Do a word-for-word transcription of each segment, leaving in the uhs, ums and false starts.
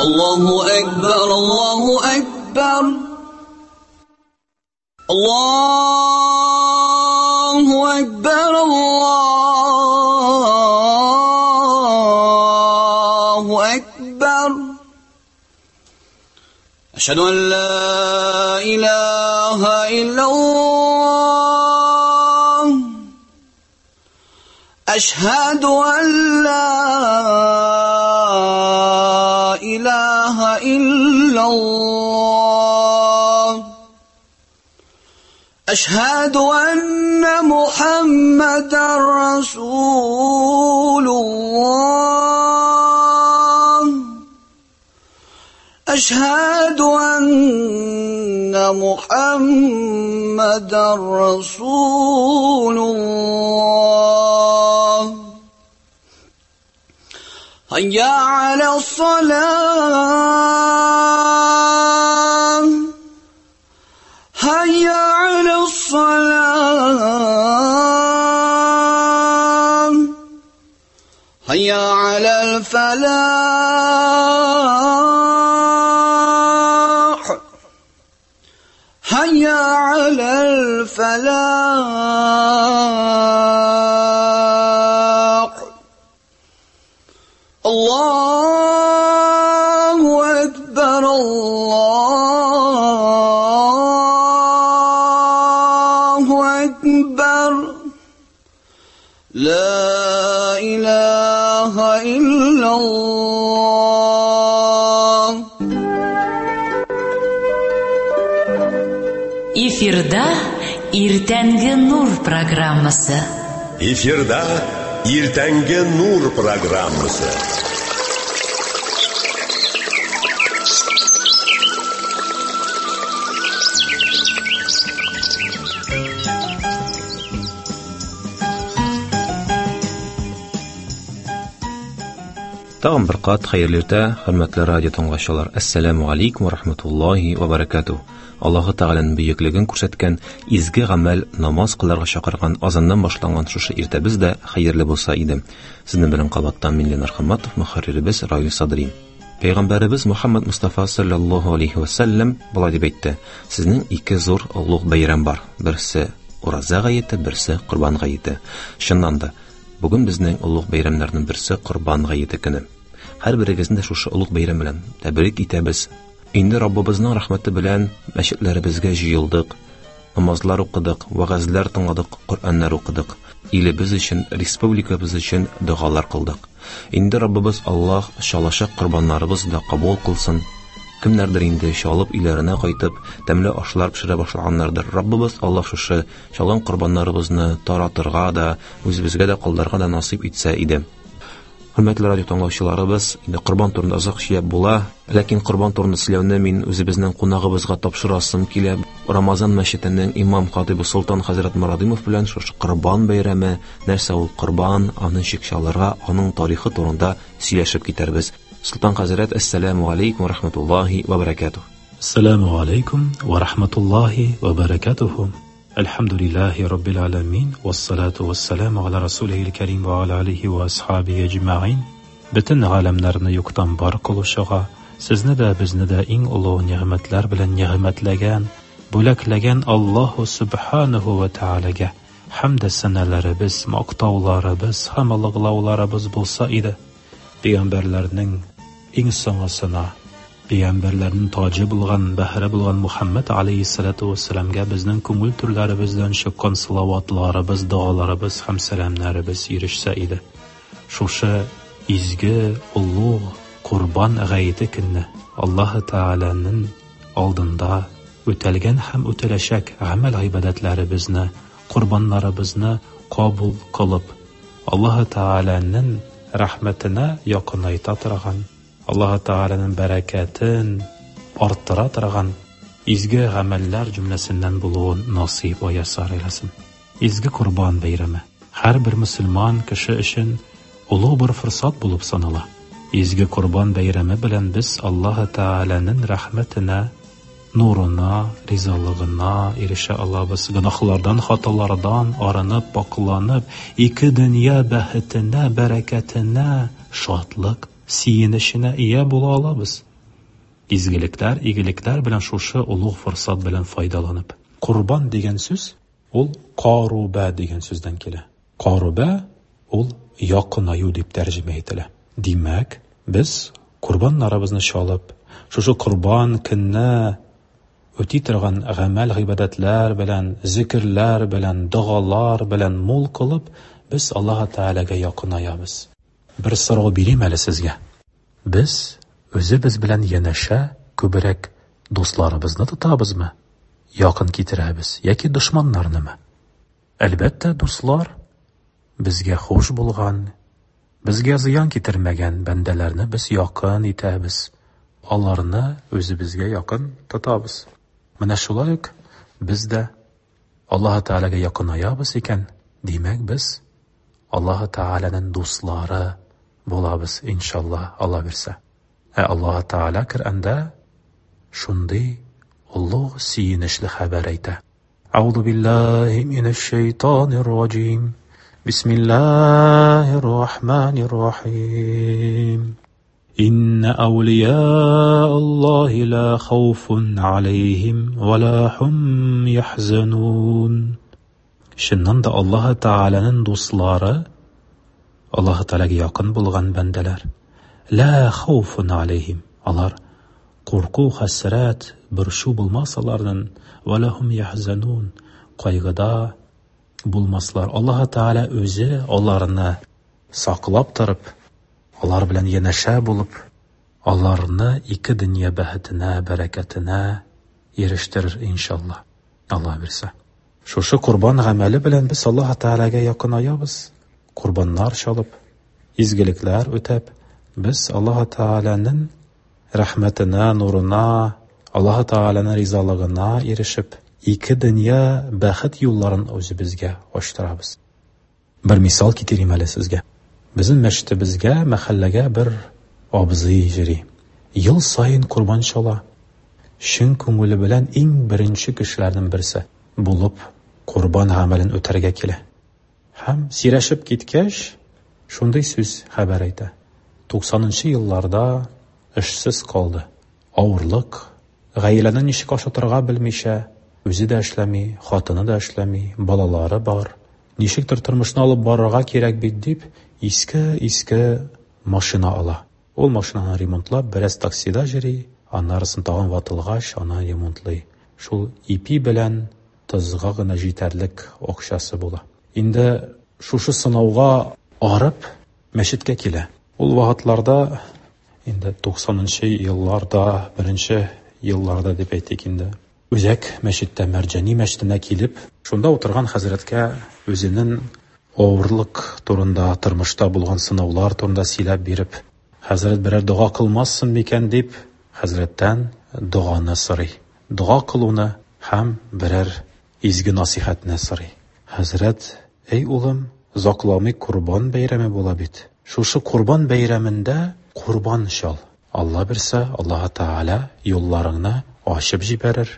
Allahu Ekber, Allahu Ekber. Allahu Ekber, Allahu Ekber. Eşhedü en la ilahe illallah. Eşhedü en la ilahe illallah. Eşhedü enne Muhammeden Resulullah. Eşhedü enne Muhammeden Resulullah. Hayya alas-salah. Hayya alas-salah. Hayya alal-falah. Hayya alal-falah. Allahu Ekber, Allahu Ekber. La ilahe illallah. Эфирда Иртәнге Нур программасы. Эфирда Иртәнге Нур программасы. Тагын бер кат хәерле иртә, хөрмәтле радио тыңлаучылар. Әссәламү алейкум ва рахматуллаһи ва баракатуһ. Аллаһы Тәгаләнең бөеклеген күрсәткән изге гамәл намаз кылырга чакырган азаннан башланган шушы иртәбез дә хәерле булса иде. Сезнең белән кабаттан мин Ленар Хамматов, мөхәрриребез Равил Садри. Пәйгамбәребез Мухаммад Мустафа саллаллаһу алейхи ва саллям болай дип әйтте: "Сезнең ике зур олуг бәйрәм бар. Берсе Ураза гаете, берсе Корбан гаете." Чыннан да, бүген безнең олуг бәйрәмнәрнең берсе Корбан гаете көне. Һәр берегезне дә шушы олуг бәйрәм белән тәбрик итәбез. Инде Раббыбызның рәхмәте белән мәчетләребезгә җыелдык, намазлар укыдык, вәгазьләр тыңладык, Коръәннәр укыдык. Илебез өчен, республикабыз өчен догалар кылдык. Инде Раббыбыз Аллаһ чалачак корбаннарыбызны да кабул кылсын. Кемнәрдер инде чалып өйләренә кайтып, тәмле ашлар пешерә башлаганнардыр. Раббыбыз Аллаһ шушы чалган корбаннарыбызны таратырга да, үзебезгә дә калдырырга да насыйп итсә иде. Хөрмәтле радио тыңлаучыларыбыз, инде корбан турында озак сөйләп була, ләкин корбан турында сөйләүне мин үзебезнең кунагыбызга тапшырасым килә. Рамазан мәчетенең имам хатибы Солтан хәзрәт Морадимов белән шушы корбан бәйрәме, нәрсә ул корбан, аны ничек чалырга, аның тарихы турында сөйләшеп китәрбез. Солтан хәзрәт, әссәламү алейкум ва рахматуллаһи ва баракатуһ. Әссәламү алейкум ва рахматуллаһи ва баракатуһ. Әлхәмдүлиллаһи раббил аламин, вассалату вассаламу аля расулихил карим ва аля алихи ва асхабихи әҗмәгыйн. Бөтен галәмнәрне юктан бар кылучыга, сезне дә, безне дә иң олуг нигъмәтләр белән нигъмәтләгән, бүләкләгән Аллаһу субханаһу ва таалагә хәмд сәналарыбыз, мактауларыбыз һәм олуглауларыбыз булса иде. Пәйгамбәрләрнең иң соңгысына, пәйгамбәрләрнең таҗы булган, бәһре булган Мухаммад алейһиссалату вассаламга безнең күңел түрләребездән чыккан салаватларыбыз, догаларыбыз һәм сәламнәребез ирешсә иде. Шушы изге, олуг Корбан гаете көнне Аллаһы Тааляның алдында үтәлгән һәм үтәләчәк гамәл гыйбадәтләребезне, корбаннарыбызны кабул кылып, Аллаһы Тааляның рәхмәтенә якынайта торган, Аллаһы Тааляның бәрәкәтен арттыра торган изге гамәлләр җөмләсеннән булуын насыйп вә ясар әйләсен. Изге Корбан бәйрәме һәрбер мөселман кеше өчен олуг бер форсат булып санала. Изге Корбан бәйрәме белән без Аллаһы Тааляның рәхмәтенә, нурына, ризалыгына ирешә алабыз. Гөнаһлардан, хаталардан арынып, пакланып, ике дөнья бәхетенә, бәрәкәтенә, шатлык, сөенеченә ия була алабыз. Изгелекләр, игелекләр белән шушы олуг форсат белән файдаланып. Корбан дигән сүз ул каруба дигән сүздән килә. Каруба ул якынаю дип тәрҗемә ителә. Димәк, без корбаннарыбызны чалып, шушы корбан көнне үти торган гамәл гыйбадәтләр белән, зикерләр белән, догалар белән мул кылып, без Аллаһ Тәгаләгә якынаябыз. Бер сорау бирим әле сезгә. Без үзебез белән янәшә күбрәк дусларыбызны тотабызмы? Якын китерәбез яки дошманнарнымы? Әлбәттә, дуслар безгә хуш булган, безгә зыян китермәгән бәндәләрне без якын итәбез. Аларны үзебезгә якын тотабыз. Менә шулай ук без дә Аллаһ Тәгаләгә якынаябыз икән, димәк, без Аллаһ Тәгаләнең дуслары булабыз, иншаллаһ, Алла бирсә. Ә Аллаһ Тәгалә Коръәндә шундый олуг сөенечле хәбәр әйтә. Аузу биллаһи минәш шайтанир раҗим. Бисмиллаһир рахманир рахим. Инна әүлия Аллаһи ла хауфун алейхим ва ла хум яхзанун. Чыннан да Аллаһ Тәгаләнең дуслары, Аллаһ Тәгаләгә якын булган бәндәләр, ла хауфун алейхим, алар курку, хәсрәт, борчу булмас аларның, ва ла хум яхзанун, кайгыда булмаслар. Аллаһ Тәгалә үзе аларны саклап торып, алар белән янәшә булып, аларны ике дөнья бәхетенә, бәрәкәтенә ирештерер иншаллаһ. Аллаһ бирсә. Шушы корбан гамәле белән без Аллаһ Тәгаләгә якынаябыз. Корбаннар чалып, изгелекләр үтәп, без Аллаһ Тәгаләнең рәхмәтенә, нурына, Аллаһ Тәгаләнең ризалыгына ирешеп, ике дөнья бәхет юлларын үзебезгә ачтырабыз. Бер мисал китерим әле сезгә. Безнең мәчетебезгә, мәхәлләгә бер абзый йөри. Ел саен корбан чала. Чын күңеле белән иң беренче кешеләрнең берсе булып корбан гамәлен үтәргә килә. Һәм сөйләшеп киткәч, шундый сүз хәбәр әйтә. Туксанынчы елларда эшсез калды. Авырлык, гаиләне ничек ашатырга белмичә, үзе дә эшләми, хатыны да эшләми, балалары бар. Ничектер тормышны алып барырга кирәк бит дип, иске-иске машина ала. Ул машинаны ремонтлап, бераз таксида йөри, аннарысын тагын ватылгач, аны ремонтлый. Шул ипи белән тозга гына җитәрлек акчасы була. Инде шушы сынауга арып мәчеткә килә. Ул вакытларда, инде туксанынчы елларда, беренче елларда дип әйтик инде, Үзәк мәчеттә, Мәрҗани мәчетенә килеп, шунда утырган хәзрәткә үзенең авырлык турында, тормышта булган сынаулар турында сөйләп биреп, хәзрәт берәр дога кылмассың микән дип, хәзрәттән доганы сорый. Дога кылуны һәм берәр изге насихәтне сорый. Хәзрәт: "Эй улым, озакламый Корбан бәйрәме була бит. Шушы Корбан бәйрәмендә корбан чал. Алла бирсә, Аллаһ Тәгалә юлларыңны ачып җибәрер.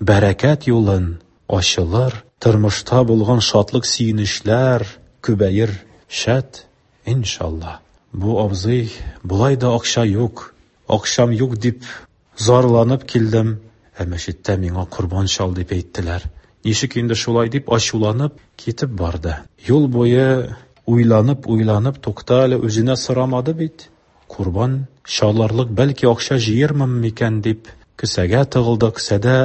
Бәрәкәт юлын ачылыр, тормышта булган шатлык сөенечләр күбәер. Шәт, иншаллаһ." Бу абзый: "Болай да акча юк, акчам юк дип зарланып килдем, ә мәчеттә миңа корбан чал дип әйттеләр. Ничек инде шулай дип ачуланып китеп барды. Юл буе уйланып, уйланып, тукта әле, үзенә сорамады бит. Корбан чаларлык бәлки акча җыермын микән дип кесәгә тыгылды, кесәдә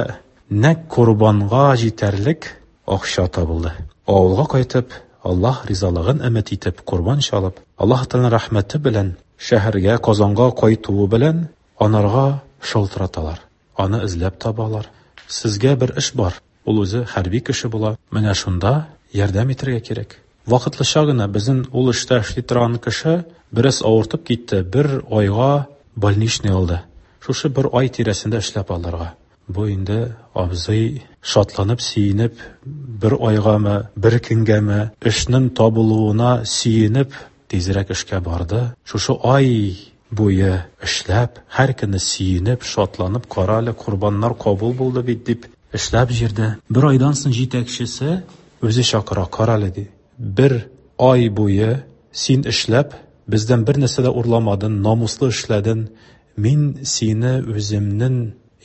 нәкъ корбанга җитәрлек акча табылды. Авылга кайтып, Аллаһ ризалыгын өмет итеп корбан чалып, Аллаһ Тәгаләнең рәхмәте белән шәһәргә, Казанга кайтуы белән анарга шалтыраталар. Аны эзләп табалар. Сезгә бер эш бар. Ул үзе хәрби кеше була. Менә шунда ярдәм итәргә кирәк. Вакытлыча гына безнең ул эштә эшли торган кеше бераз авыртып китте, бер айга больничный алды. Шушы бер ай тирәсендә эшләп алырга. Бу инде абзый шатланып, сөенеп, бер айгамы, бер көнгәме эшнең табылуына сөенеп, тизрәк эшкә барды. Шушы ай буе эшләп, һәр көнне сөенеп, шатланып, кара әле, корбаннар кабул булды бит дип эшләп җирде. Бер айдан соң җитәкчесе үзе чакыра, кара әле ди. Бер ай буе син эшләп, бездән бер нәрсә дә урламадың, намуслы эшләдең. Мин сине үземнең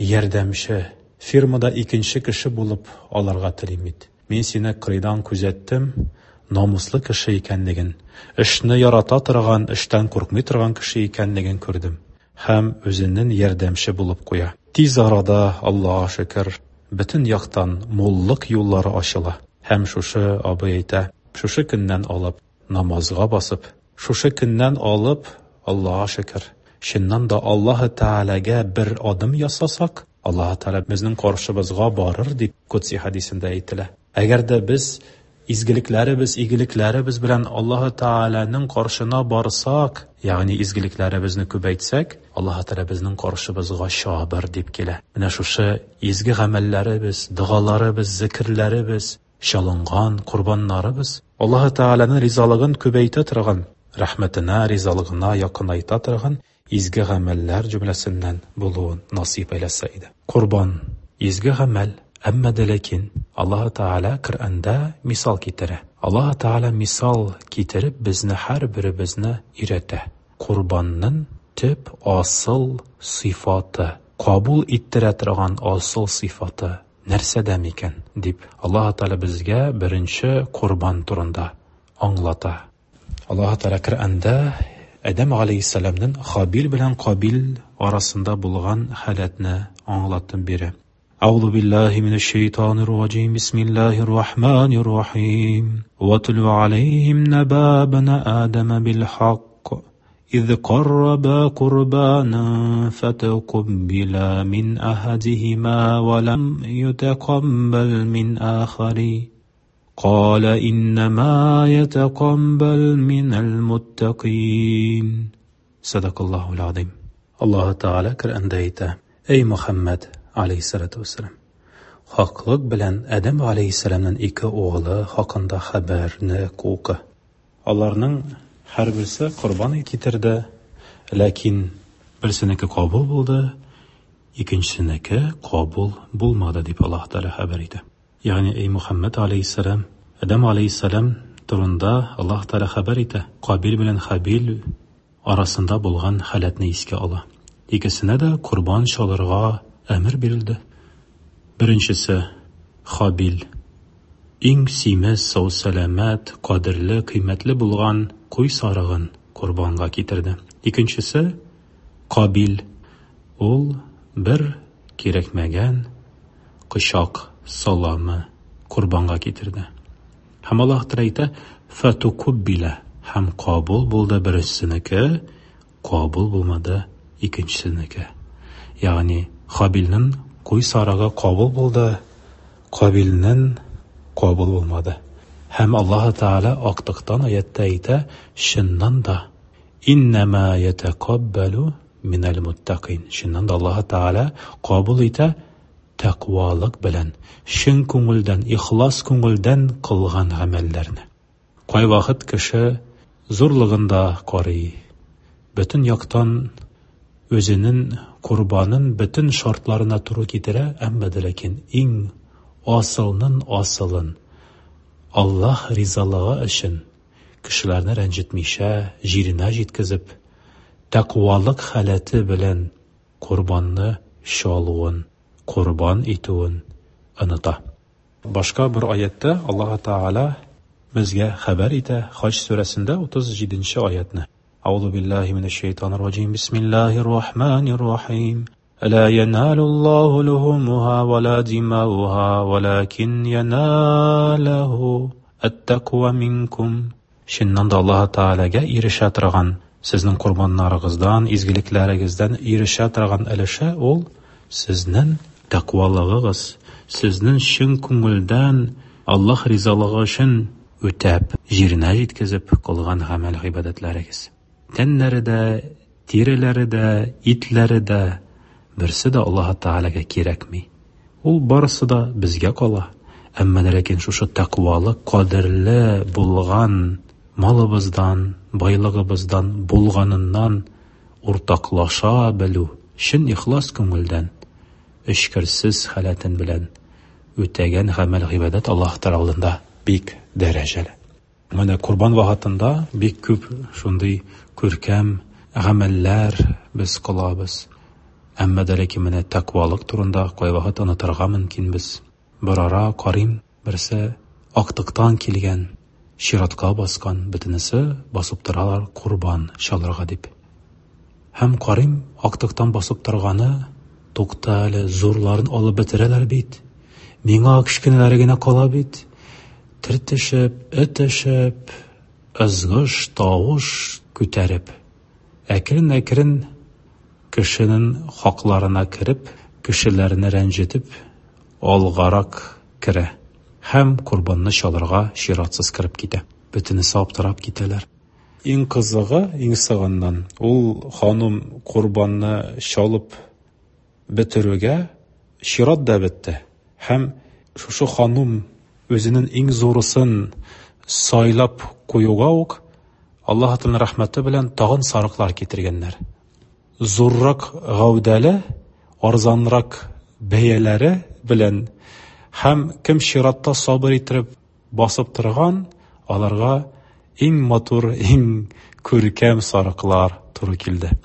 ярдәмче, фирмада икенче кеше булып алырга телим бит. Мин сине кырыйдан күзәттем, намуслы кеше икәнлеген, эшне ярата торган, эштән куркмый торган кеше икәнлеген күрдем. Һәм үзенең ярдәмче булып куя. Тиз арада, Аллаһка шөкер, бөтен яктан муллык юллары ачыла. Һәм шушы абый әйтә, шушы көннән алып намазга басып, шушы көннән алып, Аллаһка шөкер, чыннан да Аллаһы Тәгаләгә бер адым ясасак, Аллаһы Тәгалә безнең каршыбызга барыр дип Кудси хәдисендә әйтелә. Әгәр дә без изгелекләребез, игелекләребез белән Аллаһы Тәгаләнең каршына барсак, ягъни изгелекләребезне күбәйтсәк, Аллаһы Тәгалә безнең каршыбызга чабыр дип килә. Менә шушы изге гамәлләребез, догаларыбыз, зикерләребез, чалынган корбаннарыбыз Аллаһы Тәгаләнең ризалыгын күбәйтә торган, рәхмәтенә, ризалыгына якынайта торган изге гамәлләр җөмләсеннән булуын насыйп әйләсә иде. Корбан изге гамәл, әмма дә ләкин Аллаһы Тәгалә Коръәндә мисал китерә. Аллаһы Тәгалә мисал китереп безне һәрберебезне өйрәтә. Корбанның төп асыл сыйфаты, кабул иттерә торган асыл сыйфаты нәрсәдә микән дип Аллаһы Тәгалә безгә беренче корбан турында аңлата. Аллаһы Тәгалә Коръәндә Адәм алейһиссәламнең Хабил белән Кабил арасында булган халәтне аңлатып бирә. Әгъузу биллаһи минәш-шәйтанир раҗим. Бисмиллаһир рахманир рахим. Ватлу алейһим наба бана Адама бил хакк. إذ قربا قربانا فتقبل من أحدهما ولم يتقبل من آخر. قال إنما يتقبل من المتقين. صدق الله العظيم. الله Teala Kur'anda ayta: Ey Muhammad aleyhissalatu vesselam, haqlıq bilan Adam aleyhissalamның ике оғлы хакында хәбәрне укы. Аларның һәр берсе корбан китерде, ләкин берсенеке кабул булды, икенчесенеке кабул булмады дип Аллаһ Тәгалә хәбәр итә. Ягъни ey Мухаммад алейһиссалам, Адам алейһиссалам турында Аллаһ Тәгалә хәбәр итә. Кабил белән Хабил арасында булган халәтне искә ала. Икесенә дә корбан чалырга әмер бирелде. Беренчесе Хабил, иң симез, сау-сәламәт, кадерле, кыйммәтле булган куй сарыгын корбанга китерде. Икенчесе Кабил, ул бер кирәкмәгән кочак саламы корбанга китерде. Һәм Аллаһ Тәгалә әйтә: "Фатукуббила", һәм кабул булды берсенеке, кабул булмады икенчесенеке. Ягъни Хабилнең куй сарыгы кабул булды, Кабилнең кабул булмады. Һәм Аллаһ Тәгалә актыктан аятта әйтә: "Чыннан да иннама ятакаббалу минал муттакин". Чыннан да Аллаһ Тәгалә кабул итә тәкъвалык белән, чын күңелдән, ихлас күңелдән кылган гамәлләрне. Кайвакыт кеше зурлыгында карый, бөтен яктан үзенең корбанын бөтен шартларына туры китерә, әмма дә ләкин иң асылның асылын Аллаһ ризалыгы өчен кешеләрне рәнҗетмичә, җиренә җиткезеп, тәкъвалык халәте белән корбанны чалуын, корбан итүен оныта. Башка бер аятта Аллаһ Тәгалә безгә хәбәр итә, Хаҗ сүрәсендә утыз җиденче аятны. Әгъузу биллаһи минәш-шәйтанир раҗим. Бисмиллаһир рахманир рахим. Ла яналу Аллаһу лухумуха ва ла димауха, валакин яналаху ат-таква минкум. Чыннан да Аллаһ Тәгаләгә ирешә торган, сезнең корбаннарыгыздан, изгелекләрегездән ирешә торган өлеше ул сезнең тәкъвалыгыгыз, сезнең чын күңелдән Аллаһ ризалыгы өчен үтәп, җиренә җиткезеп кылган гамәл-гыйбадәтләрегез. Тәннәре дә, тиреләре дә, итләре дә берсе дә Аллаһ Тәгаләгә кирәкми. Ул барысы да безгә кала. Әмма ләкин шушы тәкъвалык кадерле булган малыбыздан, байлыгыбыздан, булганыннан уртаклаша белү, чын ихлас күңелдән, эчкерсез халәтен белән үтәгән гамәл-гыйбадәт Аллаһ Тәгалә алдында бик дәрәҗәле. Менә корбан вакытында бик күп шундый күркәм гамәлләр без кылабыз. Әмма дә ләкин менә тәкъвалык турында кайвакыт онытырга мөмкинбез. Бер ара карыйм, берсе актыктан килгән, чиратка баскан, бөтенесе басып торалар корбан чалырга дип. Һәм карыйм, актыктан басып торганы, тукта әле, зурларын алып бетерәләр бит. Миңа кечкенәләре генә кала бит. Тертешеп, этешеп, ызгыш, тавыш күтәреп, әкрен-әкрен кешенең хакларына кереп, кешеләрне рәнҗетеп, алгарак керә. Һәм корбанны чалырга чиратсыз кереп китә. Бөтенесе аптырап китәләр. Иң кызыгы, иң сыгыннан, ул ханым корбанны чалып бетерүгә чират да бетте. Һәм шушы ханым үзенең иң зурысын сайлап куюга ук Аллаһ Тәгаләнең рәхмәте белән тагын сарыклар китергәннәр. Зуррак гәүдәле, арзанрак бәяләре белән һәм кем чиратта сабыр итеп басып торган, аларга иң матур, иң күркәм сарыклар туры килде.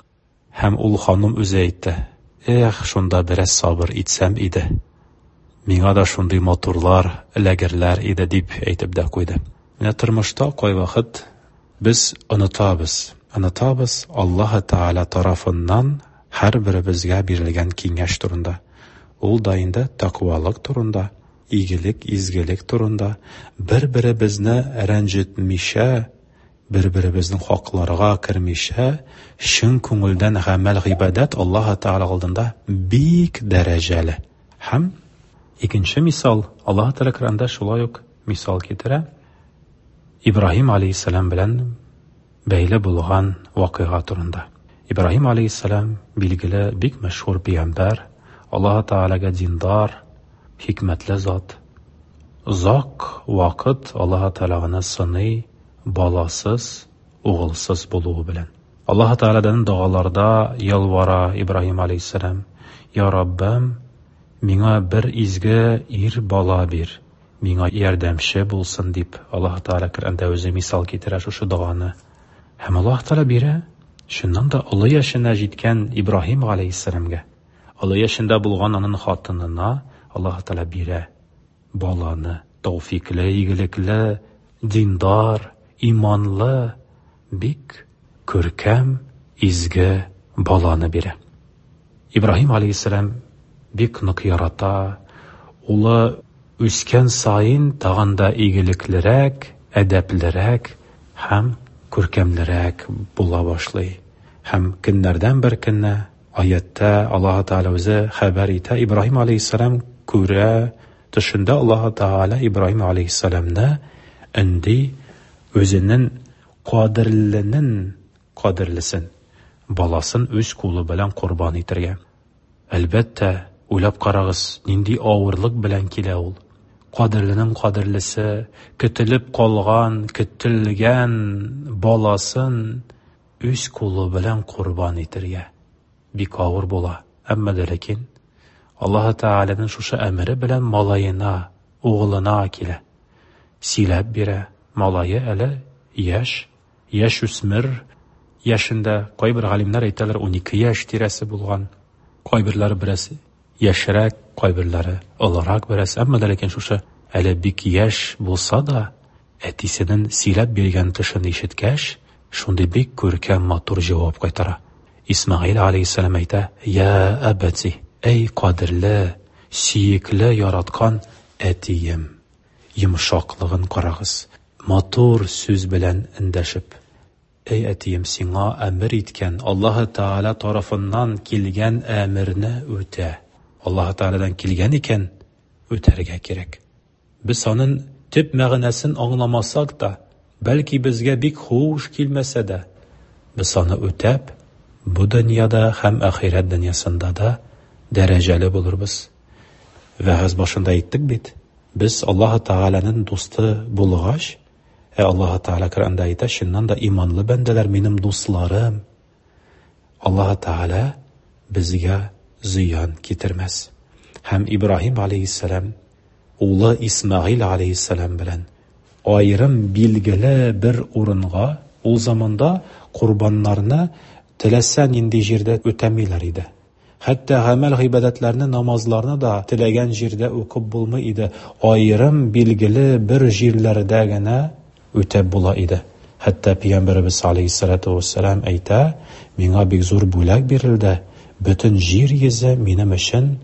Һәм ул ханым үзе әйтте: "Эх, шунда бераз сабыр итсәм иде. Миңа да шундый матурлар эләгерләр иде", дип әйтеп дә куйды. Менә тормышта кайвакыт без онытабыз, онытабыз Аллаһ Тәгалә тарафыннан һәрберебезгә бирелгән киңәш турында. Ул да инде тәкъвалык турында, игелек, изгелек турында, бер-беребезне рәнҗетмичә, бер-беребезнең хакларга кермичә, чын күңелдән гамәл гыйбадәт Аллаһ Тәгалә алдында бик дәрәҗәле. Һәм икенче мисал, Аллаһ Тәгалә Коръәндә шулай ук мисал китерә. Ибраһим алейһиссәлам белән бәйле булган вакыйга турында. Ибраһим алейһиссәлам билгеле бик мәшһүр пәйгамбәр, Аллаһ Тәгаләгә диндар, хикмәтле зат. Озак вакыт Аллаһ Тәгалә аны сыный, баласыз, угылсыз булуы белән. Аллаһ Тәгаләдән догаларда ялвара Ибраһим алейһиссәлам: "Я Раббым, миңа бер изге ир бала бир, миңа ярдәмче булсын", дип Аллаһ Тәгалә Коръәндә үзе мисал китерә шушы доганы. Һәм Аллаһ Тәгалә бирә, чыннан да олы яшенә җиткән Ибраһим алейһиссәламгә, олы яшендә булган аның хатынына Аллаһ Тәгалә бирә баланы, тәүфикле, игелекле, диндар, иманлы, бик күркәм, изге баланы бирә. Ибраһим алейһиссәлам бик нык ярата, улы үскән саен тагын да игелеклерәк, әдәплерәк һәм күркәмлерәк була башлый. Һәм көннәрдән бер көнне аятта Аллаһ Тәгалә үзе хәбәр итә, Ибраһим алейһиссәлам күрә, төшендә Аллаһ Тәгалә Ибраһим алейһиссәламны өнди, үзенең кадерленең кадерлесен, баласын үз кулы белән корбан итәргә. Әлбәттә, уйлап карагыз, нинди авырлык белән килә ул. Кадерленең кадерлесе, көтелеп калган, көтелгән баласын үз кулы белән корбан итәргә бик авыр була. Әмма дә ләкин Аллаһ Тәгаләнең шушы әмере белән малаена, угылына килә. Сөйләп бирә. Малае әле яшь, яшь үсмер яшендә, кайбер галимнәр әйтәләр унике яшь тирәсе булган. Кайберләре бераз яшьрәк, кайберләре олырак бераз. Әмма дә ләкин шушы әле бик яшь булса да, әтисенең сөйләп биргән төшен ишеткәч, шундый бик күркәм матур җавап кайтара. Исмаил алейһиссәлам әйтә: "Я әбәти, эй кадерле, сөекле, яраткан әтием". Йомшаклыгын карагыз, матур сүз белән эндәшеп: "Эй әтием, сиңа әмер иткән Аллаһ Тәгалә тарафыннан килгән әмерне үтә. Аллаһ Тәгаләдән килгән икән, үтәргә кирәк. Без аның төп мәгънәсен аңламасак та, бәлки безгә бик хуш килмәсә дә, без аны үтәп, бу дөньяда һәм ахирәт дөньясында да дәрәҗәле булырбыз. Вәгазь башында әйттек бит, без Аллаһ Тәгаләнең дусты булгач, ә Аллаһ Тәгалә Коръәндә әйтә, чыннан да иманлы бәндәләр минем дусларым. Аллаһ Тәгалә безгә зыян китермәс. Һәм Ибраһим алейһиссәлам улы Исмаил алейһиссәлам белән аерым билгеле бер урынга, ул заманда корбаннарны теләсә нинди җирдә үтәмиләр иде. Хәтта гамәл гыйбадәтләрне, намазларны да теләгән җирдә укып булмый иде. Аерым билгеле бер җирләрдә генә үтәп була иде. Хәтта Пәйгамбәребез алейһиссалату вассалам әйтә, миңа бик зур бүләк бирелде, бөтен җир йөзе минем өчен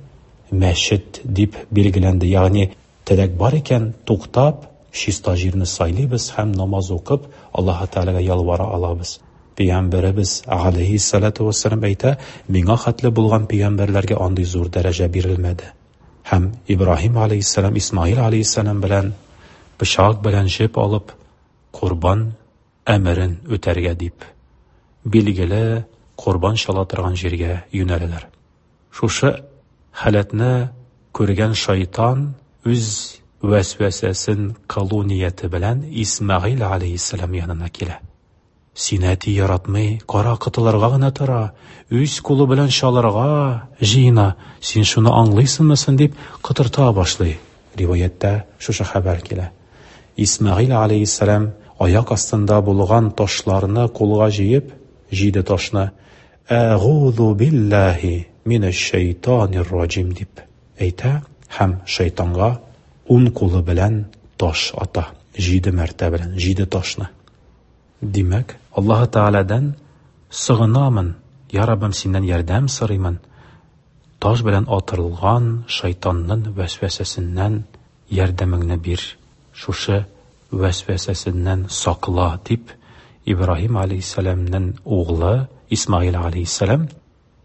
мәчет дип билгеләнде. Ягъни теләк бар икән, туктап, чиста җирне сайлыйбыз һәм намаз укып, Аллаһ Тәгаләгә ялвара алабыз. Пәйгамбәребез алейһиссалату вассалам әйтә, миңа хәтле булган пәйгамбәрләргә андый зур дәрәҗә бирелмәде. Һәм Ибраһим алейһиссалам, Исмаил алейһиссалам белән пычак белән җеп алып, корбан әмерен үтәргә дип, билгеле корбан чала торган җиргә юнәләләр. Шушы халәтне күргән шайтан үз вәсвәсәсен кылу нияте белән Исмаил алейһиссалам янына килә. Сине әти яратмый, кара кытылырга гына тора, үз кулы белән чалырга җыена, син шуны аңлыйсыңмы соң дип кытырта башлый. Риваяттә шушы хәбәр килә. Исмаил алейһиссалам аяк астында булган ташларны кулга җыеп, җиде ташны Әгуҙу биллаһи минәш-шәйтанир раҗим дип әйтә һәм шайтанга ун кулы белән таш ата. Җиде мәртәбә белән җиде ташны. Димәк, Аллаһ Тәгаләдән сыгынамын, я Раббым, синнән ярдәм сорыймын. Таш белән атырылган шайтанның вәсвәсәсеннән ярдәмеңне бир. Шушы вәсвәсәсеннән сакла дип Ибраһим алейһиссәламнең углы Исмаил алейһиссәлам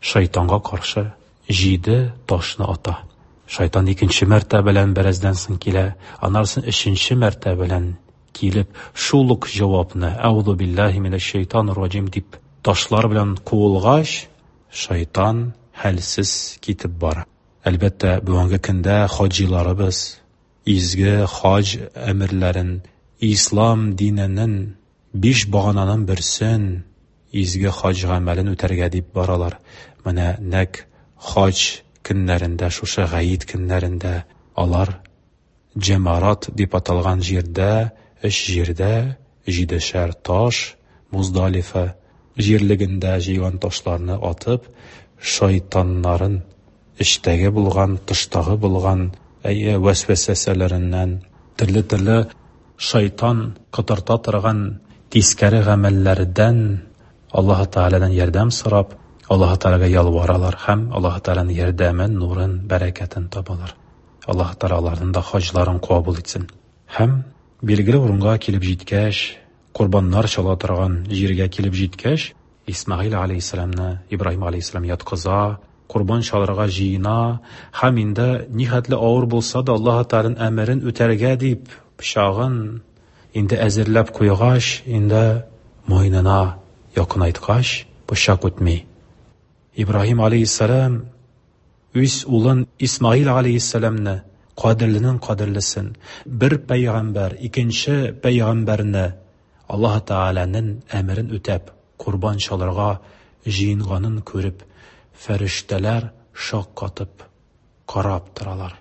шайтанга каршы җиде ташны ата. Шайтан икенче мәртәбә белән бераздан соң килә, аннан соң өченче мәртәбә белән килеп, шул ук җавапны Әгуҙу биллаһи минәш-шәйтанир раҗим дип ташлар белән куылгач, шайтан хәлсез китеп бара. Әлбәттә, бүгенге көндә хаҗиларыбыз изге хаҗ әмерләрен, ислам диненең биш багананың берсен, изге хаҗ гамәлен үтәргә дип баралар. Менә нәк хаҗ көннәрендә, шушы гаит көннәрендә алар Җәмарат дип аталган җирдә, өч җирдә җидешәр таш Муздалифа җирлегендә җыйган ташларны атып, шайтаннарын эчтәге булган, тыштагы булган әйе вәсвәсәләреннән, төрле-төрле шайтан котырта торган тискәре гамәлләрдән Аллаһ Тәгаләдән ярдәм сорап, Аллаһ Тәгаләгә ялваралар һәм Аллаһ Тәгаләнең ярдәмен, нурын, бәрәкәтен табалар. Аллаһ Тәгалә аларның да хаҗларын кабул итсен. Һәм билгеле урынга килеп җиткәч, корбаннар чала торган җиргә килеп җиткәч, Исмаил алейһиссәламны Ибраһим алейһиссәлам яткыза, корбан чалырга җыена һәм инде нихәтле авыр булса да Аллаһ Тәгаләнең әмерен үтәргә дип пычагын инде әзерләп куйгач, инде муенына якынайткач, пычак үтми. Ибраһим алейһиссәлам үз улын Исмаил алейһиссәламны, кадерленең кадерлесен, бер пәйгамбәр, икенче пәйгамбәрне Аллаһ Тәгаләнең әмерен үтәп, корбан чалырга җыенганын күреп, фәрештәләр шаккатып карап торалар.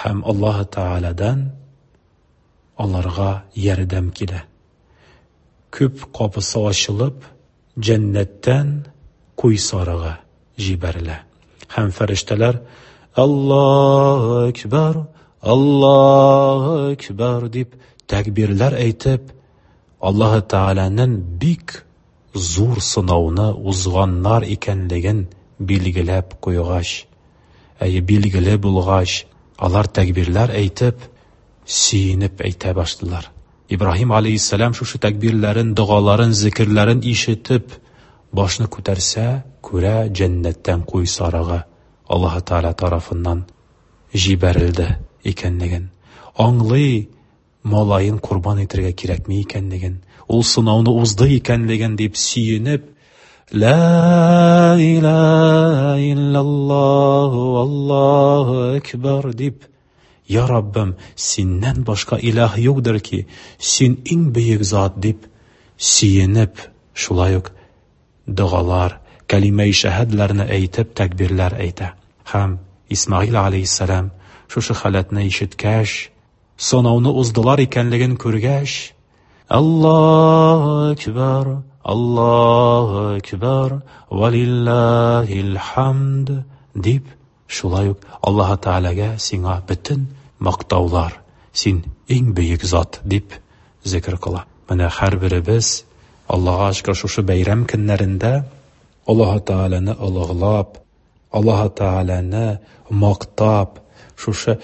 Һәм Аллаһ Тәгаләдән аларга ярдәм килә. Күп капысы ачылып, җәннәттән куй сарыгы җибәрелә. Һәм фәрештәләр Аллаһу акбар, Аллаһу акбар дип тәкбирләр әйтеп, Аллаһ Тәгаләнең бик зур сынауны узганнар икәнлеген билгеләп куйгач, әйе, билгеле булгач, алар тәкбирләр әйтеп, сөенеп әйтә башладылар. Ибраһим алейһиссәлам шушы тәкбирләрен, догаларын, зикерләрен ишетеп, башны күтәрсә, күрә җәннәттән куй сарыгы Аллаһ Тәгалә тарафыннан җибәрелде икәнлеген. Аңлый, малаен корбан итәргә кирәкми икәнлеген, ул сынауны узды икәнлеген дип сөенеп, Ла илаһа иллаллаһу Аллаһу акбар дип, Я Раббым, синнән башка илаһ юкдыр ки, син иң бөек зат дип сөенеп, шулай ук догалар, кәлимәи шәһадләрне әйтеп, тәкбирләр әйтә. Һәм Исмаил алейһиссәлам шушы халәтне ишеткәч, сынауны уздылар икәнлеген күргәч, Аллаһу акбар, Аллаһу акбар, ва лиллаһил хамд дип, шулай ук Аллаһ Тәгаләгә сиңа бөтен мактаулар, син иң бөек зат дип зикр кыла. Менә һәрберебез Аллаһка шөкер шушы бәйрәм көннәрендә Аллаһ Тәгаләне олуглап, Аллаһ Тәгаләне мактап, шушы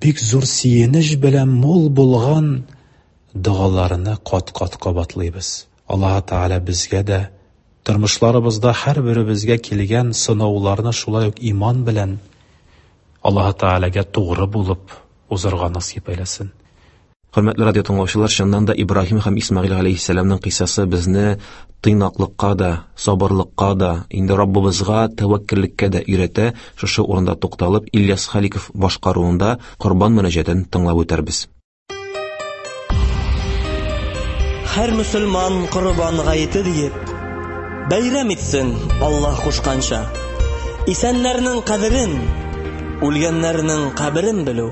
бик зур сөенеч белән мул булган догаларны кат-кат кабатлыйбыз. Аллаһ Тәгалә безгә дә тормышларыбызда һәрберебезгә килгән сынауларны шулай ук иман белән Аллаһ Тәгаләгә тугры булып узырга насыйп әйләсен. Хөрмәтле радио тыңлаучылар, чыннан да Ибраһим һәм Исмаил алейһиссәламның кыйссасы безне тыйнаклыкка да, сабырлыкка да, инде Раббыбызга тәвәккәллеккә дә өйрәтә. Шушы урында тукталып, Ильяс Халиков башкаруында Корбан мөнәҗәтен тыңлап үтәрбез. Һәр мөселман Корбан гаете диеп бәйрәм итсен Аллаһ кушканча. Исәннәрнең кадерен, үлгәннәрнең каберен белү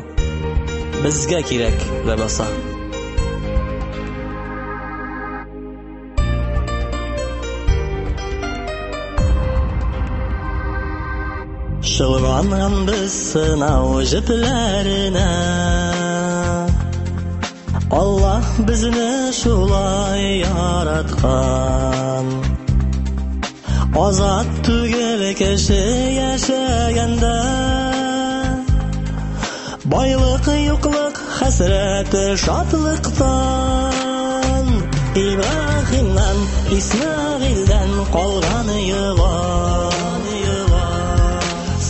безгә кирәк ләбаса. Чолганган без сынау җепләренә, Аллаһ безне шулай яраткан. Азат түгел кеше яшәгәндә, байлык юклык хәсрәте шатлыктан. Ибраһимнан, Исмаилдән калган йола,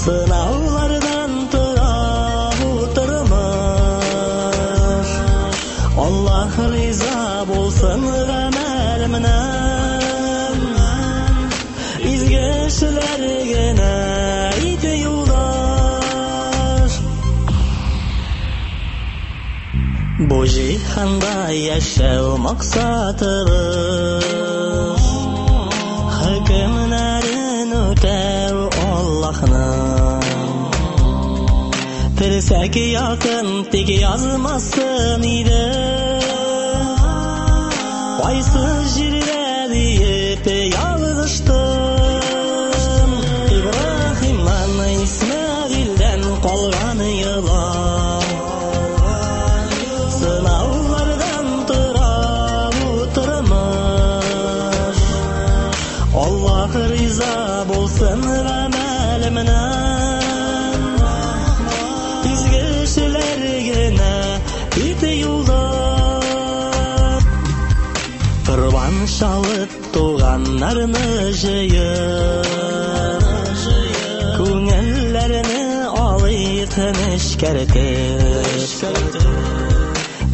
сынаулардан тора бу тормыш. Аллаһ риза булсын гамәлемнән, изге эшләр генә ите юлдаш. Бу җиһанда яшәү максатыбыз, хөкемнәрен үтәү Аллаһның. Терсәк якын тик язмасын иде, кайсы җирдә диеп ялгыштым. Ибраһимнан, Исмаилдән калган йола, сынаулардан тора бу тормыш. Аллаһ риза булсын гамәлемнән, изге эшләр генә ите юлдаш. Корбан чалып туганнарны җыеп, күңелләрне алыйк нечкәртеп.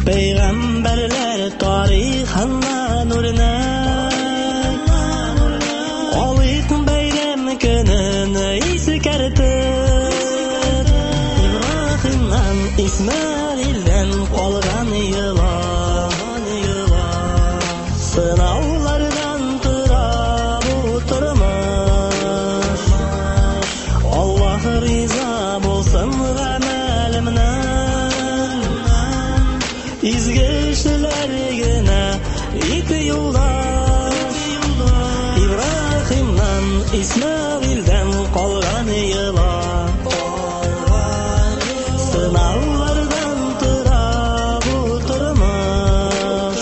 Пәйгамбәрләр тарихыннан үрнәк алыйк бәйрәм көнен искәртеп. Ибраһимнан, Исмаилдән калган йола, сынаулардан тора бу тормыш. Аллаһ риза булсын гамәлемнән, изге эшләр генә ите юлдаш. Ибраһимнан, Исмаилдән калган йола, сынаулардан тора бу тормыш.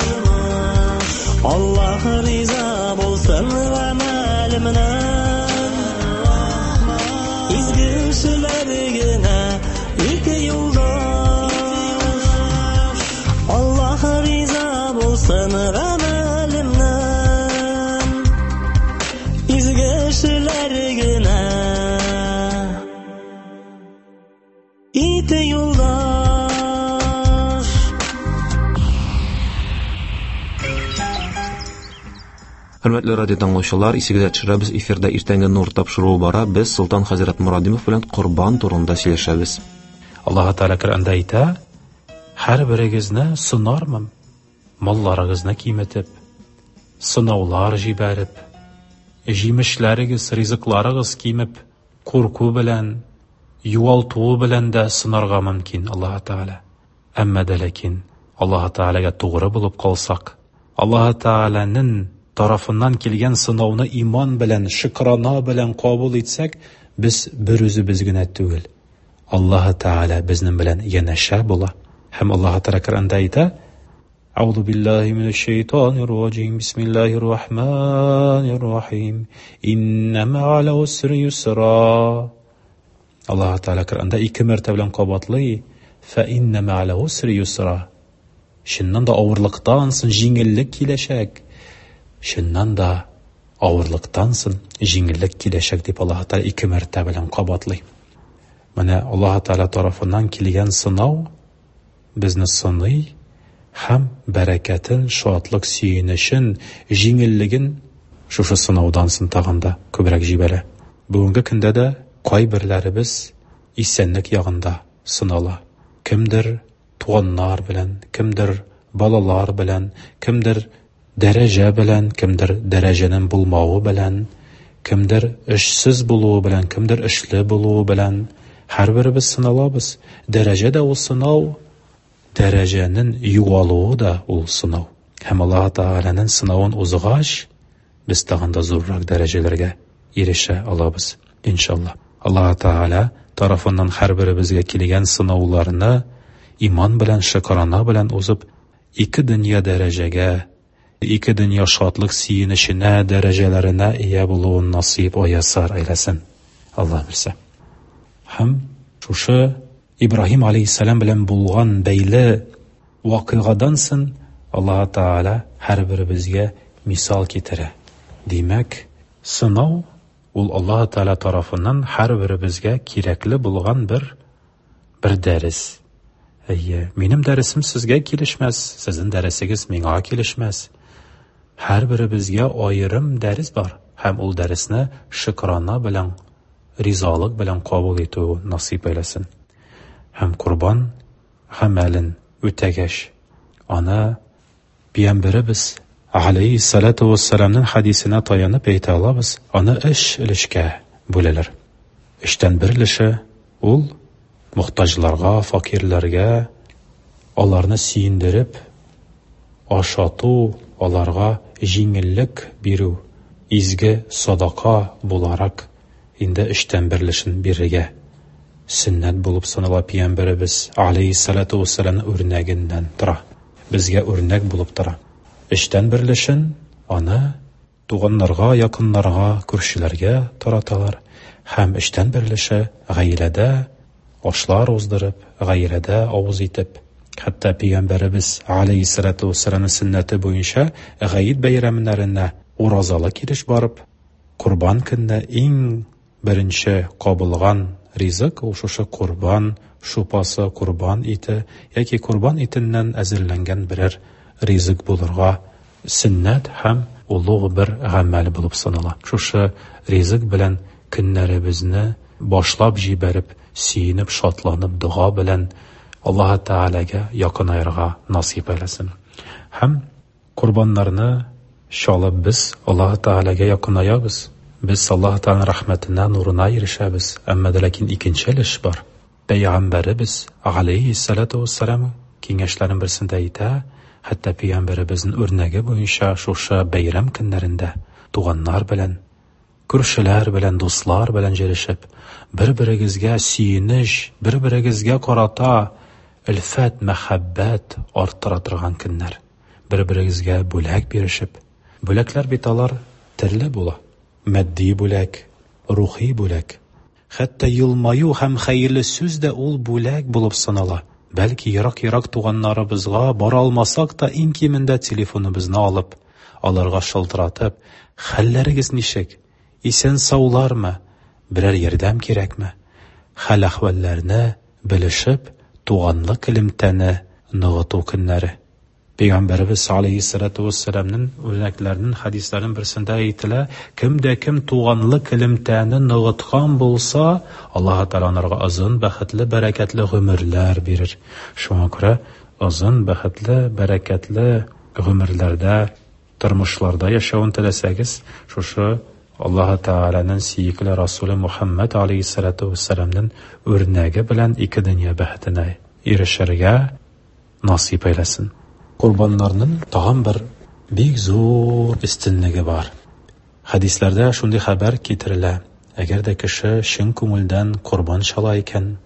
Аллаһ риза булсын гамәлемнән, изге эшләр генә ите юлдаш. Аллаһ риза булсын гамәлемнән, изге эшләр генә ите юлдаш. Хөрмәтле радио тыңлаучылар, исегезгә төшерәбез, эфирда иртәнге Нур тапшыруы бара. Без Солтан хәзрәт Морадимов белән Корбан турында сөйләшәбез. Аллаһ Тәгалә Коръәндә әйтә: һәрберегезне сынармын, малларыгызны киметеп, сынаулар җибәреп, җимешләрегез, ризыкларыгыз кимеп, курку белән, югалту белән дә сынарга мөмкин Аллаһ Тәгалә. Әмма дә ләкин Аллаһ Тәгаләгә тугры булып калсак, Аллаһ Тәгаләнең тарафыннан килгән сынауны иман белән, шөкрана белән кабул итсәк, без бер үзебез генә түгел. Аллаһы Тәгалә безнең белән янәшә була. Һәм Аллаһы Тәгалә Коръәндә әйтә: Әгъузу биллаһи минәш шайтанир раҗим. Бисмиллаһир рахманир рахим. Инна мә'ал усри юсра. Аллаһы Тәгалә Коръәндә ике мәртәбә белән кабатлый: Фа инна мә'ал усри юсра. Чыннан да авырлыктан соң җиңеллек киләчәк. Чыннан да авырлыктан соң җиңеллек киләчәк дип Аллаһы Тәгалә ике мәртәбә белән кабатлый. Менә Аллаһы Тәгалә тарафыннан килгән сынау безне сыный һәм бәрәкәтен, шатлык, сөенечен, җиңеллеген шушы сынаудан соң тагын да күбрәк җибәрә. Бүгенге көндә дә кайберләребез исәнлек ягында сынала. Кемдер туганнар белән, кемдер балалар белән, кемдер дәрәҗә белән, кемдер дәрәҗәнең булмавы белән, кемдер эшсез булуы белән, кемдер эшле булуы белән. Һәрберебез сыналабыз. Дәрәҗә дә ул сынау, дәрәҗәнең югалуы да ул сынау. Һәм Аллаһ Тәгаләнең сынавын узгач, без тагын да зуррак дәрәҗәләргә ирешә алабыз, иншалла. Аллаһ Тәгалә тарафыннан һәрберебезгә килгән сынауларны иман белән, шөкрана белән узып, ике дөнья дәрәҗәгә, ике дөнья шатлык сөенеченә, дәрәҗәләренә ия булуын насыйп аясар әйләсен. Аллаһ бирсә. Һәм шушы Ибраһим алейһиссәлам белән булган бәйле вакыйгадан соң Аллаһ Тәгалә һәрберебезгә мисал китерә. Димәк, сынау ул Аллаһ Тәгалә тарафыннан һәрберебезгә кирәкле булган бер бер дәрес. Әйе, минем дәресем сезгә килешмәс, сезнең дәресегез миңа килешмәс. Һәрберебезгә аерым дәрес бар, һәм ул дәресне шөкрана белән, ризалык белән кабул итү насыйп әйләсен. Һәм корбан гамәлен үтәгәч, аны Пәйгамбәребез алейһиссалату вассаламның хәдисенә таянып әйтә алабыз, аны өч өлешкә бүләләр. Өчтән бер өлеше ул мохтаҗларга, факирләргә, аларны сөендереп, ашату, аларга җиңеллек бирү, изге садака буларак инде өчтән бер өлешен бирергә сөннәт булып санала. Пәйгамбәребез алейһиссалату вассаламның үрнәгеннән тора, безгә үрнәк булып тора. Өчтән бер өлешен аны туганнарга, якыннарга, күршеләргә тараталар, һәм өчтән бер өлеше гаиләдә ашлар уздырып, гаиләдә авыз итеп, хәтта Пәйгамбәребез алейһиссалату вассаламның сөннәте буенча гаид бәйрәмнәренә уразалы килеш барып, корбан көнне иң беренче кабылган ризык ул шушы корбан шупасы, корбан ите яки корбан итеннән әзерләнгән берәр ризык булырга сөннәт һәм олуг бер гамәл булып санала. Шушы ризык белән көннәребезне башлап җибәреп, сөенеп, шатланып, дога белән Аллаһ Тәгаләгә якынаерга насыйп әйләсен. Һәм корбаннарны чалып без Аллаһ Тәгаләгә якынаябыз. Без Аллаһ Тәгаләнең рәхмәтенә, нурына ирешәбез. Әмма дә ләкин икенче өлеш бар. Пәйгамбәребез алейһиссалату вассалам киңәшләренең берсендә әйтә, хәтта пәйгамбәребезнең үрнәге буенча шушы бәйрәм көннәрендә туганнар белән, күршеләр белән, дуслар белән җыелышып, бер-берегезгә сөенеч, бер-берегезгә карата өлфәт, мәхәббәт арттыра торган көннәр. Бер-берегезгә бүләк бирешеп. Бүләкләр бит алар төрле була. Матди бүләк, рухи бүләк. Хәтта елмаю һәм хәерле сүз дә ул бүләк булып санала. Бәлки ерак-ерак туганнарыбызга бара алмасак та, иң кимендә телефоныбызны алып, аларга шалтыратып, хәлләрегез ничек? Исән-саулармы? Берәр ярдәм кирәкме? Хәл-әхвәлләрне белешеп, туганлык элемтәне ныгыту көннәре. Пәйгамбәребез алейһиссалату вассаламның үрнәкләренең хәдисләренең берсендә әйтелә, кем дә кем туганлык элемтәне ныгыткан булса, Аллаһ Тәгалә анарга озын, бәхетле, бәрәкәтле гомерләр бирер. Шуңа күрә озын, бәхетле, бәрәкәтле гомерләрдә, тормышларда яшәвен теләсәгез, шушы Аллаһ Тәгаләнең сөекле Расулы Мухаммад алейһиссалату вассаламның үрнәге белән ике дөнья бәхетенә ирешергә насыйп әйләсен. Корбаннарның тагын бер бик зур өстенлеге бар. Хәдисләрдә шундый хәбәр китерелә: әгәр дә кеше чын күңелдән корбан чала икән,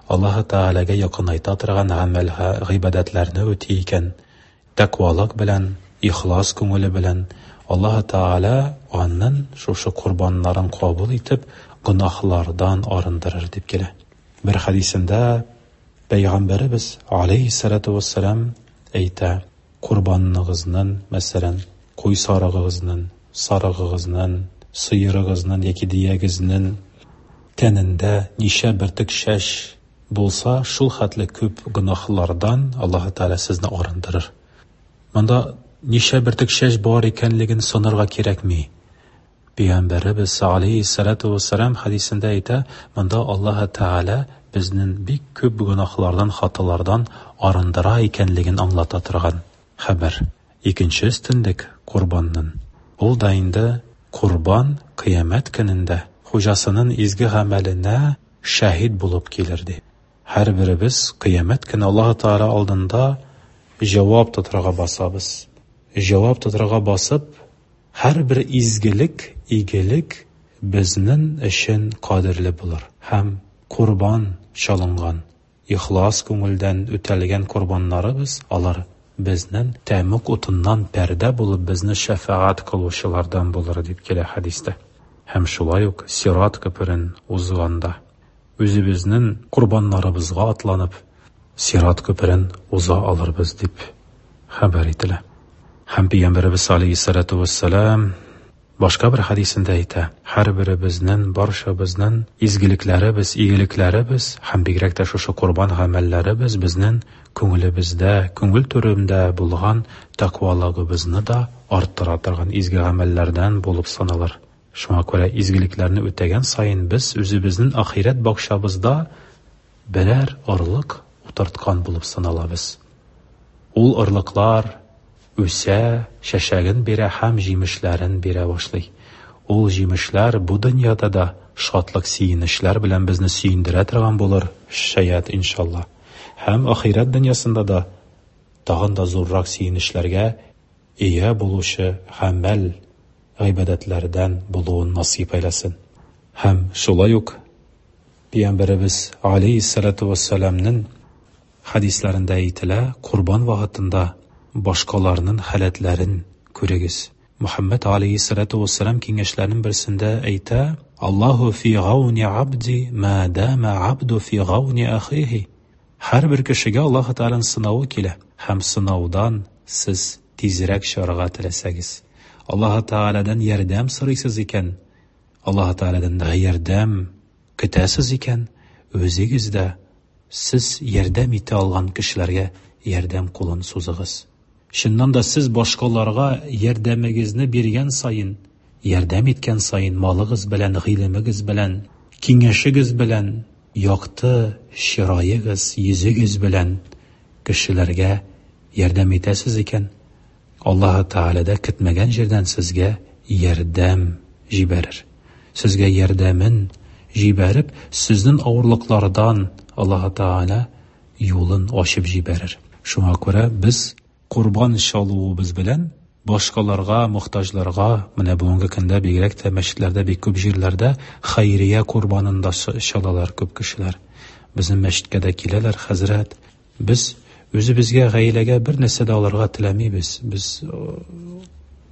Аллаһы Тәгаләгә якынайта торган гамәл, гыйбадәтләрне үти икән, тәкъвалык белән, ихлас күңеле белән, Аллаһы Тәгалә аның шушы корбаннарын кабул итеп, гөнаһлардан арындырыр дип килә. Бер хәдисендә Пәйгамбәребез алейһиссалату вассалам әйтә: корбаныгызның, мәсәлән, куй сарыгыгызның, сарыгыгызның, сыерыгызның яки дөягезнең тәнендә ничә бөртек чәч булса, шул хәтле күп гөнаһлардан Аллаһы Тәгалә сезне арындырыр. Монда ничә бөртек чәч бар икәнлеген санарга кирәкми. Пәйгамбәребез алейһиссалату вассалам хәдисендә әйтә, монда Аллаһы Тәгалә безнең бик күп гөнаһлардан, хаталардан арындыра икәнлеген аңлата торган хәбәр. Икенче өстенлек корбанның. Ул да инде корбан кыямәт көнендә хуҗасының изге гамәленә шаһит булып килер ди. Һәрберебез кыямәт көне Аллаһы Тәгалә алдында җавап тотарга басабыз. Җавап тотарга басып, һәрбер изгелек, игелек безнең өчен кадерле булыр. Һәм корбан чалынган, ихлас күңелдән үтәлгән корбаннарыбыз, алар безнең тәмуг утыннан пәрдә булып безне шәфәгать кылучылардан булыр дип килә хәдистә. Һәм шулай ук сират күперен узганда үзебезнең корбаннарыбызга атланып сират күперен уза алырбыз дип хәбәр ителә. Һәм Пәйгамбәребез алейһиссалату вассалам башка бер хәдисендә әйтә: һәрберебезнең, барчабызның изгелекләребез, игелекләребез һәм бигрәк тә шушы корбан гамәлләребез безнең күңелебездә, күңел түрендә булган тәкъвалыгыбызны да арттыра торган изге гамәлләрдән булып саналыр. Шуңа күрә изгелекләрне үтәгән саен без үзебезнең ахирәт бакчабызда берәр орлык утырткан булып саналабыз. Ул орлыклар үсә, чәчәген бирә һәм җимешләрен бирә башлый. Ул җимешләр бу дөньяда да шатлык, сөенечләр белән безне сөендерә торган булыр, шаят иншалла. Һәм ахирәт дөньясында да тагын да зуррак сөенечләргә ия булучы гамәл, гыйбадәтләрдән булуын насыйп әйләсен. Һәм шулай ук Пәйгамбәребез алейһиссалату вассаламның хәдисләрендә әйтелә, корбан вакытында башкаларның халәтләрен күрегез. Мухаммад алейһиссалату вассалам киңәшләренең берсендә әйтә: Аллаһу фи гауни абди ма дама абду фи гауни ахихи. Һәрбер кешегә Аллаһ Тәгаләнең сынавы килә, һәм сынаудан сез тизрәк чыгарга теләсәгез, Аллаһ Тәгаләдән ярдәм сорыйсыз икән, Аллаһ Тәгаләдән ярдәм көтәсез икән, үзегез дә сез ярдәм итә алган кешеләргә ярдәм кулын сузыгыз. Чыннан да сез башкаларга ярдәмегезне биргән саен, ярдәм иткән саен, малыгыз белән, гыйлемегез белән, киңәшегез белән, якты чыраегыз, йөзегез белән кешеләргә ярдәм итәсез икән, Аллаһ Тәгалә дә көтмәгән җирдән сезгә ярдәм җибәрер. Сезгә ярдәмен җибәреп, сезнең авырлыклардан Аллаһ Тәгалә юлын ачып җибәрер. Шуңа күрә без корбан чалуыбыз белән башкаларга, мохтаҗларга, менә бүгенге көндә бигрәк тә мәчетләрдә, бик күп җирләрдә хәйрия корбанын да чалалар күп кешеләр. Безнең мәчеткә дә киләләр, хәзрәт, без үзебезгә, гаиләгә бер нәрсә дә алырга теләмибез. Без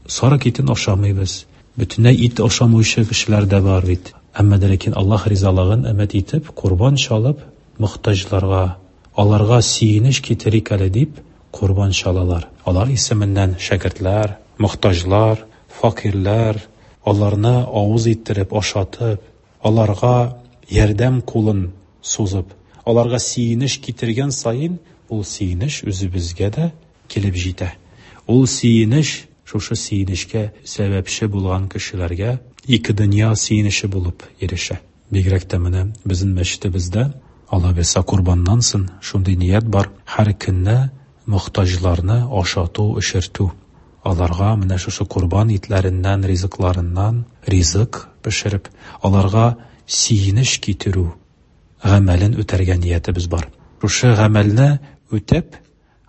сарык итен ашамыйбыз. Бөтенләй ит ашамаучы кешеләр дә бар бит. Әмма дә ләкин Аллаһ ризалыгын өмет итеп, корбан чалып, мохтаҗларга, аларга сөенеч китерик әле дип корбан чалалар. Алар исеменнән шәкертләр, мохтаҗлар, факирләр, аларны авыз иттереп, ашатып, аларга ярдәм кулын сузып, аларга сөенеч китергән саен, ул сөенеч үзебезгә дә килеп җитә. Ул сөенеч, шушы сөенечкә сәбәпче булган кешеләргә ике дөнья сөенече булып ирешә. Бигрәк тә менә безнең мәчетебездә Алла бирсә корбаннан соң шундый ният бар: һәр көнне мохтаҗларны ашату, эчертү. Аларга менә шушы корбан итләреннән, ризыкларыннан ризык пешереп, аларга сөенеч китерү гамәлен үтәргә ниятебез бар. Шушы гамәлне үтәп,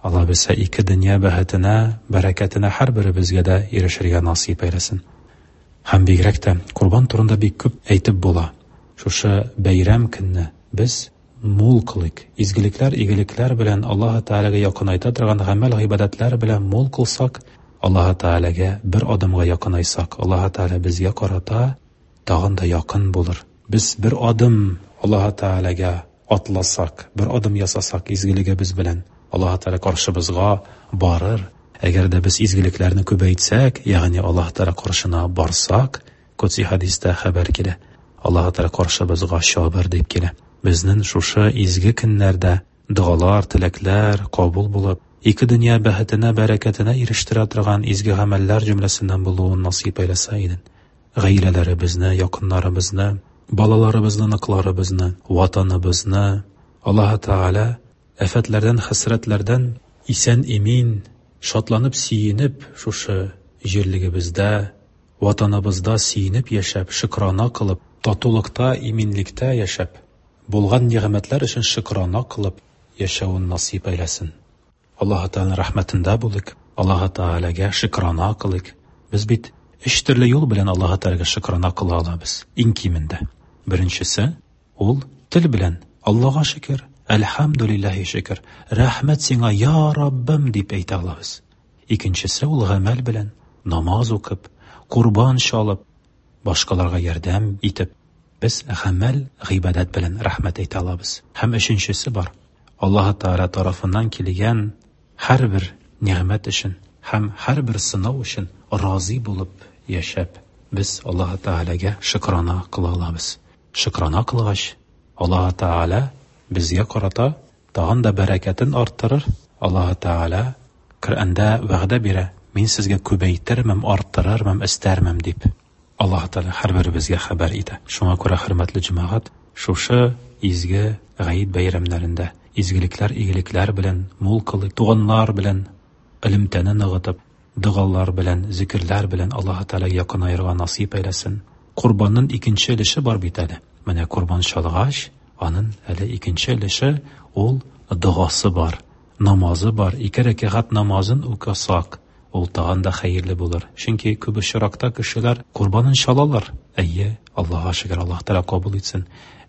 Алла бирсә, ике дөнья бәхетенә, бәрәкәтенә һәрберебезгә дә ирешергә насыйп әйләсен. Һәм бигрәк тә корбан турында бик күп әйтеп була. Шушы бәйрәм көнне без мул кылыйк. Изгелекләр, игелекләр белән Аллаһ Тәгаләгә якынайта торган гамәл-гыйбадәтләр белән мул кылсак, Аллаһ Тәгаләгә бер адымга якынайсак, Аллаһ Тәгалә безгә карата тагын да якын булыр. Без бер адым Аллаһ Тәгаләгә атласак, бер адым ясасак изгелегебез белән, Аллаһ Тәгалә каршыбызга барыр. Әгәр дә без изгелекләрне күбәйтсәк, ягъни Аллаһ Тәгалә каршына барсак, Кудси хәдистә хәбәр килә. Аллаһ Тәгалә каршыбызга чабыр дип килә. Безнең шушы изге көннәрдә догалар, теләкләр кабул булып, ике дөнья бәхетенә, бәрәкәтенә ирештерә торган изге гамәлләр җөмләсеннән булуын насыйп әйләсә иде. Гаиләләребезне, якыннарыбызны, балаларыбызны, оныкларыбызны, ватаныбызны Аллаһ Тәгалә афәтләрдән, хәсрәтләрдән исән-имин, шатланып, сөенеп шушы җирлегебездә, ватаныбызда сөенеп яшәп, шөкрана кылып, татулыкта, иминлектә яшәп, булган нигъмәтләр өчен шөкрана кылып яшәвен насыйп әйләсен. Аллаһ Тәгаләнең рәхмәтендә булыйк, Аллаһ Тәгаләгә шөкрана кылыйк. Без бит өч төрле юл белән Аллаһ Тәгаләгә шөкрана кыла алабыз, иң кимендә. Беренчесе ул тел белән Аллаһка шөкер, әлхәмдүлилләһи шөкер, рәхмәт сиңа, я Раббым дип әйтә алабыз. Икенчесе ул гамәл белән намаз укып, корбан чалып, башкаларга ярдәм итеп, без гамәл, гыйбадәт белән рәхмәт әйтә алабыз. Һәм өченчесе бар. Аллаһ Тәгалә тарафыннан килгән һәрбер нигъмәт өчен һәм һәрбер сынау өчен разый булып яшәп, без Аллаһ Тәгаләгә шөкрана кыла алабыз. Шөкрана кылгач, Аллаһ Тәгалә безгә карата тагын да бәрәкәтен арттырыр. Аллаһ Тәгалә Коръәндә вәгъдә бирә: "Мин сезгә күбәйтермен, арттырырмын, өстәрмен" дип. Аллаһ Тәгалә һәрберебезгә хәбәр итә. Шуңа күрә, хөрмәтле җәмәгать, шушы изге гает бәйрәмнәрендә изгелекләр, игелекләр белән мул кылыйк, туганнар белән элемтәне ныгытып, догалар белән, зикерләр белән Аллаһ Тәгаләгә якынаерга насыйп әйләсен. Корбанның икенче өлеше бар бит әле. Менә корбан чалгач, аның әле икенче өлеше ул догасы бар, намазы бар. Ике рәкәгать намазын укысак, ул тагын да хәерле булыр. Чөнки күп очракта кешеләр корбанын чалалар. Әйе, Аллаһка шөкер, Аллаһ Тәгалә кабул итсен.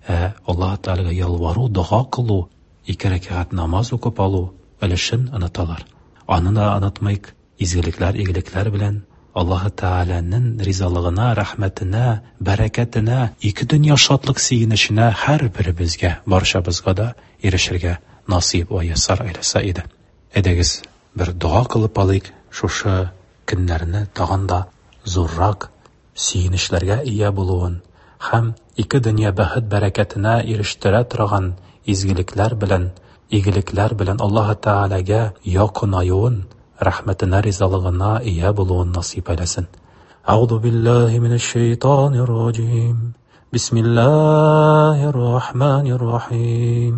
Ә Аллаһ Тәгаләгә ялвару, дога кылу, ике рәкәгать намаз укып алу өлешен оныталар. Аны да онытмыйк. Изгелекләр, игелекләр белән Аллаһ Тәгаләнең ризалыгына, рәхмәтенә, бәрәкәтенә, ике дөнья шатлык сөенеченә һәрберебезгә, барчабызга да ирешергә насыйп вә ясар әйләсә иде. Әйдәгез, бер дога кылып алыйк, шушы көннәрне тагын да зуррак сөенечләргә ия булуын һәм ике дөнья бәхет бәрәкәтенә ирештерә торган изгелекләр белән, игелекләр белән Аллаһ Тәгаләгә якынаюын, рәхмәтенә, ризалыгына ия булуын насыйп әйләсен. Әгъузу биллаһи минәш шәйтанир раҗим. Бисмиллаһир рахманир рахим.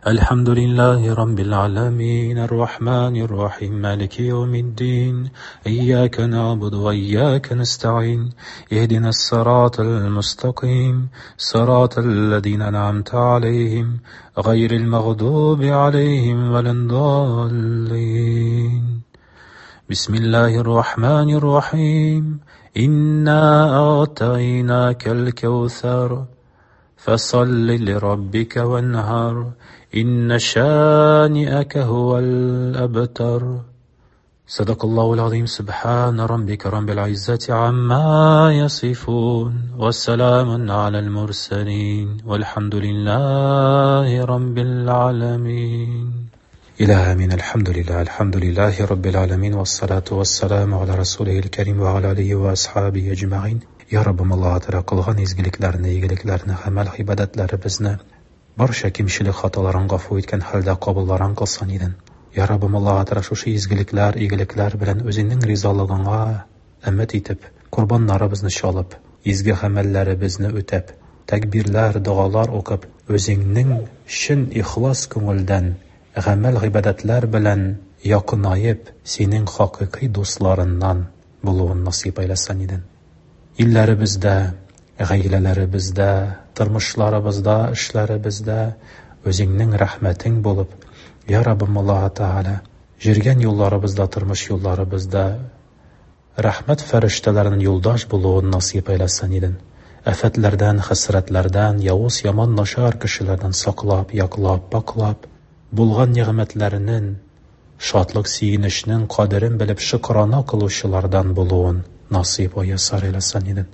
Әлхәмдүлиллаһи раббил аламин, ар-рахманир рахим, малики яумиддин. Ияка нәгъбуду ва ияка нәстаин. Иһдинас сиратал мустаким, сиратал лазина ан'амта алейхим, гайрил магъдуби алейхим валад-даллин. Бисмиллаһир рахманир рахим. Инна а'тайнакал каусар. فصل لربك وانهر إن شانئك هو الأبتر. صدق الله العظيم. سبحان ربك رب العزة عما يصفون والسلام على المرسلين والحمد لله رب العالمين. إله آمين. الحمد لله، الحمد لله رب العالمين، والصلاة والسلام على رسوله الكريم وعلى آله وأصحابه أجمعين. Ya Rabbim, Alloh taolo qilgan izgiliklarni, iyiliklarni, amal ibodatlarimizni, barcha kemchilik xatolarini g'afu etgan holda qabullarin qilsin edin. Ya Rabbim, Alloh taolo shu izgiliklar, iyiliklar bilan o'zingning rizoligingga umid etib, qurbonlarimizni chalib, izgi amallarimizni o'tab, takbirlar, duolar o'qib, o'zingning chin ixlos ko'ngildan amal ibodatlar bilan yaqinayib, sening haqiqiy do'stlaringdan bo'luvini nasib aylasan edin. Illerimizda, g'aylalarimizda, turmushlarimizda, ishlarimizda o'zingning rahmating bo'lib, Я Раббым Аллаһы Тәгалә, жүргән юлларыбызда, тормыш юлларыбызда рәхмәт фәрештәләренең юлдаш булуын насыйп әйләсен идең. Афәтләрдән, хәсрәтләрдән, явыз, яман, начар кешеләрдән саклап, яклап, паклап, булган нигъмәтләренең, шатлык, сөенечнең кадерен белеп шөкрана кылучылардан булуын насыйп вә ясар әйләсен идең.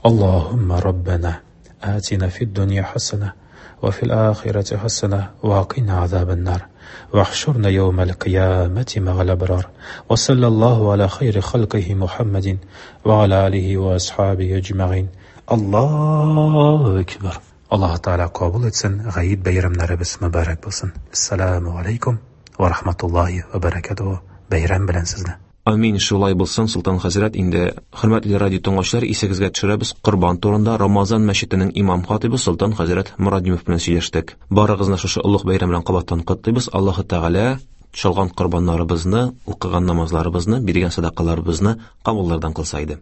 Аллаһумма Раббана, атина фид дөнья хасана, ва фил ахирати хасана, ва кина азабан-нар. واحشرنا يوم القيامة مع الأبرار وصلى الله على خير خلقه محمد وعلى آله وأصحابه أجمعين الله أكبر. Аллаһ Тәгалә кабул итсен, гает бәйрәмнәребез мөбарәк булсын. Ассаламу алейкум ва рахматуллахи ва баракатуһу. Бәйрәм белән сезне. Амин, шулай булсын, Солтан хәзрәт. Инде хөрмәтле радио тыңлаучылар, исегезгә төшерәбез, Корбан турында Рамазан мәчетенең имам хатибы Солтан хәзрәт Морадимов белән сөйләштек. Барыгызны шушы олуг бәйрәм белән кабаттан котлыйбыз. Аллаһы Тәгалә чалган корбаннарыбызны, укыган намазларыбызны, биргән садакаларыбызны кабуллардан кылса иде.